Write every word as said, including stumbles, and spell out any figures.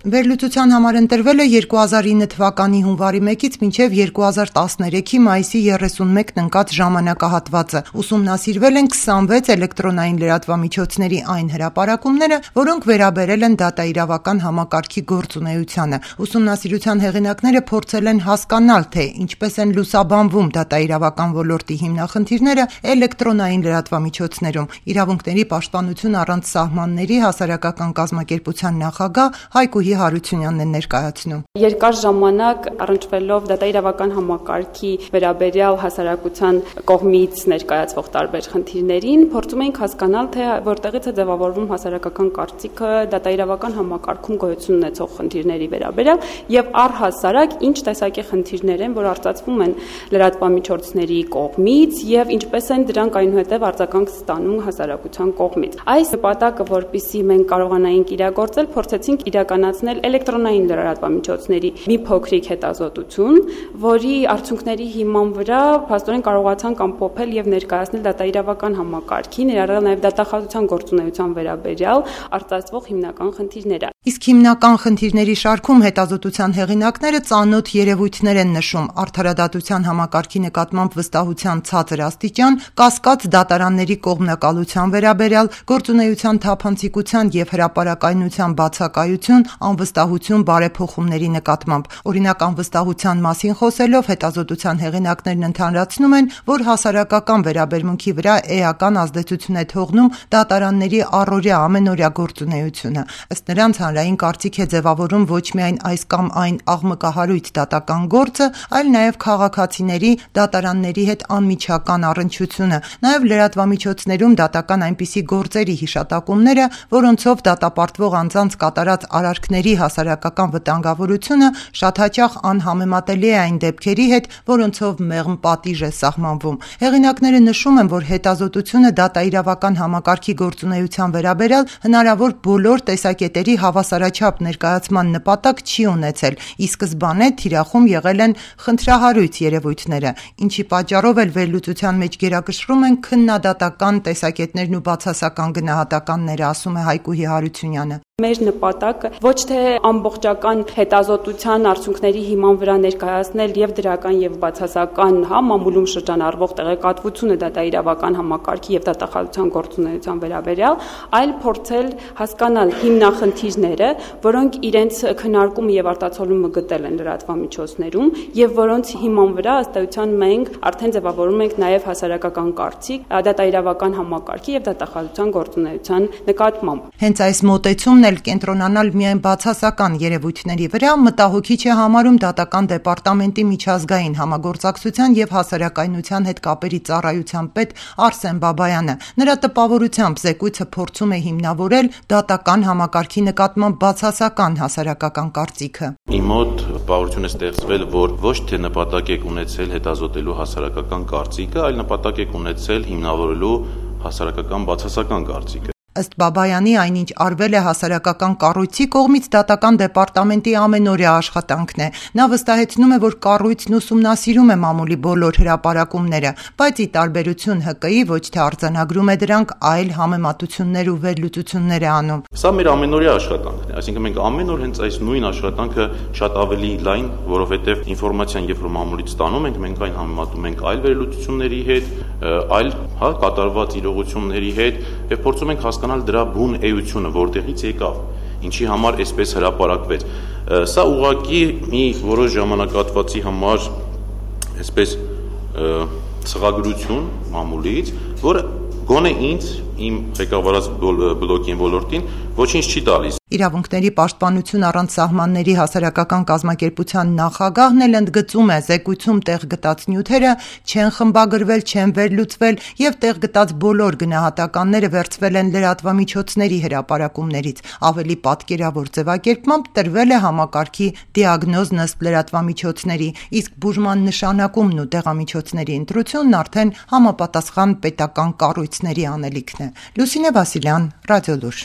Վերլուծության համար ընտրվել է երկու հազար ինը թվականի հունվարի մեկից մինչև երկու հազար տասներեքի մայիսի երեսունմեկն ընկած ժամանակահատվածը։ Ուսումնասիրվել են քսանվեց էլեկտրոնային լրատվամիջոցների այն հրապարակումները, որոնք վերաբերել են դատաիրավական համակարգի գործունեությանը։ Ուսումնասիրության հեղինակները փորձել են հասկանալ, թե ինչպես են լուսաբանվում դատաիրավական ոլորտի հիմնախնդիրները էլեկտրոնային լրատվամիջոցներում։ Իրավունքների պաշտպանություն առանց սահմանների հասարակական կազմակերպության նախագահ Հայկուհի Հարությունյանն է ներկայացնում։ Երկար ժամանակ առնչվելով դատաիրավական համակարգի վերաբերյալ հասարակության կողմից ներկայացվող տարբեր խնդիրներին, փորձում ենք հասկանալ, թե որտեղից է ձևավորվում հասարակական կարծիքը դատաիրավական համակարգում գոյություն ունեցող խնդիրների վերաբերյալ եւ առհասարակ ինչ տեսակի խնդիրներ են, որ արտացվում են լրատվամիջոցների կողմից եւ ինչպես են դրանք այնուհետեւ արձագանք ստանում հասարակության կողմից։ Այս նպատակը, որպեսզի մենք կարողանայինք իրագործել, փորձեցինք իրականացնել էլեկտրոնային լրատվամիջոցների մի փոքրիկ հետազոտություն, որի արդյունքների հիման վրա փաստորեն կարողացանք ամփոփել եւ ներկայացնել դատաիրավական համակարգի, ներառյալ նաեւ դատախազության գործունեության վերաբերյալ արտացվող հիմնական խնդիրները։ Իսկ հիմնական խնդիրների շարքում հետազոտության հեղինակները ծանոթ երևույթներ են նշում՝ արդարադատության համակարգի նկատմամբ վստահության ցածր աստիճան, կասկած դատարանների կողմնակալության վերաբերյալ, գործունեության թափանցիկության եւ հրապարակայնության բացակայություն, անվստահություն բարեփոխումների նկատմամբ։ Օրինակ, անվստահության մասին խոսելով հետազոտության հեղինակներն ընդհանրացնում են, որ հասարակական վերաբերմունքի վրա էական ազդեցություն է թողնում դատարանների առօրյա ամենօրյա գործունեությունը։ Ըստ նրանց հանրային կարծիք է ձևավորում ոչ միայն այս կամ այն աղմկահարույց դատական գործը, այլ նաև քաղաքացիների դատարանների հետ անմիջական առնչությունը, նաև լրատվամիջոցներում դատական այնպիսի գործերի հիշատակումները, որոնցով դատապարտվող անձանց կատարած արարքների հասարակական վտանգավորությունը շատ հաճախ անհամեմատելի է այն դեպքերի հետ, որոնցով մեղմ պատիժ է սահմանվում։ Հեղինակները նշում են, որ հետազոտությունը դատաիրավական համակարգի գործունեության վերաբերյալ հնարավոր բոլոր տեսակետերի հավասարաչափ ներկայացման նպատակ չի ունեցել, ի սկզբանե թիրախում եղել են խնդրահարույց երևույթները, ինչի պատճառով էլ վերլուծության մեջ գերակշռում են քննադատական տեսակետներն ու բացասական գնահատականները, ասում է Հայկուհի Հարությունյանը։ Մեր նպատակը ոչ թե ամբողջական հետազոտության արդյունքների հիման վրա ներկայացնել եւ դրական եւ բացասական հա մամուլում շրջանառվող տեղեկատվությունը դատաիրավական համակարգի եւ դատախազության գործունեության վերաբերյալ, այլ փորձել հասկանալ հիմնախնդիրները, որոնք իրենց քննարկումը եւ արտացոլումը գտել են լրատվամիջոցներում եւ որոնց հիման վրա ըստ էության մենք արդեն ձևավորում ենք նաեւ հասարակական կարծիք դատաիրավական համակարգի եւ դատախազության գործունեության նկատմամբ։ Հենց այս մոտեցումն էլ կենտրոնանալ միայն բացասական երևույթների վրա մտահոգիչ է համարում դատական դեպարտամենտի միջազգային համագործակցության եւ հասարակայնության հետ կապերի ծառայության պետ Արսեն Բաբայանը։ Նրա տպավորությամբ զեկույցը փորձում է հիմնավորել դատական համակարգի նկատմամբ բացասական հասարակական կարծիքը։ Իմ մոտ տպավորություն է ստեղծվել, որ ոչ թե նպատակ եք ունեցել հետազոտելու հասարակական կարծիքը, այլ նպատակ եք ունեցել հիմնավորելու հասարակական բացասական կարծիքը։ Ըստ Բաբայանի, այնինչ արվել է հասարակական կառույցի կողմից դատական դեպարտամենտի ամենօրյա աշխատանքն է։ Նա վստահեցնում է, որ կառույցն ուսումնասիրում է մամուլի բոլոր հրապարակումները, բայց ի տարբերություն ՀԿ-ի ոչ թե արձանագրում է դրանք, այլ համեմատություններ ու վերլուծություններ է անում։ Սա մեր ամենօրյա աշխատանքն է, այսինքն մենք ամեն օր հենց այս նույն աշխատանքը շատ ավելի լայն, որովհետև ինֆորմացիան, երբ որ մամուլից ստանում ենք, մենք այն համեմատում ենք այլ վերլուծությունների հետ, այլ հա կատարված իրողությունների հետ եւ փորձում ենք հասկանալ դրա բուն էությունը, որտեղից եկավ, ինչի համար այսպես հրապարակվեց։ Սա ուղղակի մի որոշ ժամանակահատվածի համար այսպես ցղագրություն մամուլից, որը գոնե ինձ իմ ղեկավարած բլոկին ոլորտին ոչինչ չի տալիս։ Իրավունքների պաշտպանություն առանց սահմանների հասարակական կազմակերպության նախագահն էլ ընդգծում է, զեկույցում տեղ գտած նյութերը չեն խմբագրվել, չեն վերլուծվել եւ տեղ գտած բոլոր գնահատականները վերցվել են լրատվամիջոցների հրապարակումներից։ Ավելի պատկերավոր ձևակերպմամբ տրվել է համակարգի դիագնոզն ըստ լրատվամիջոցների, իսկ բուժման նշանակումն ու դեղամիջոցների ընտրությունն արդեն համապատասխան պետական կառույցների անելիքն է։ Լուսինե Վասիլյան, Ռադիոլուր։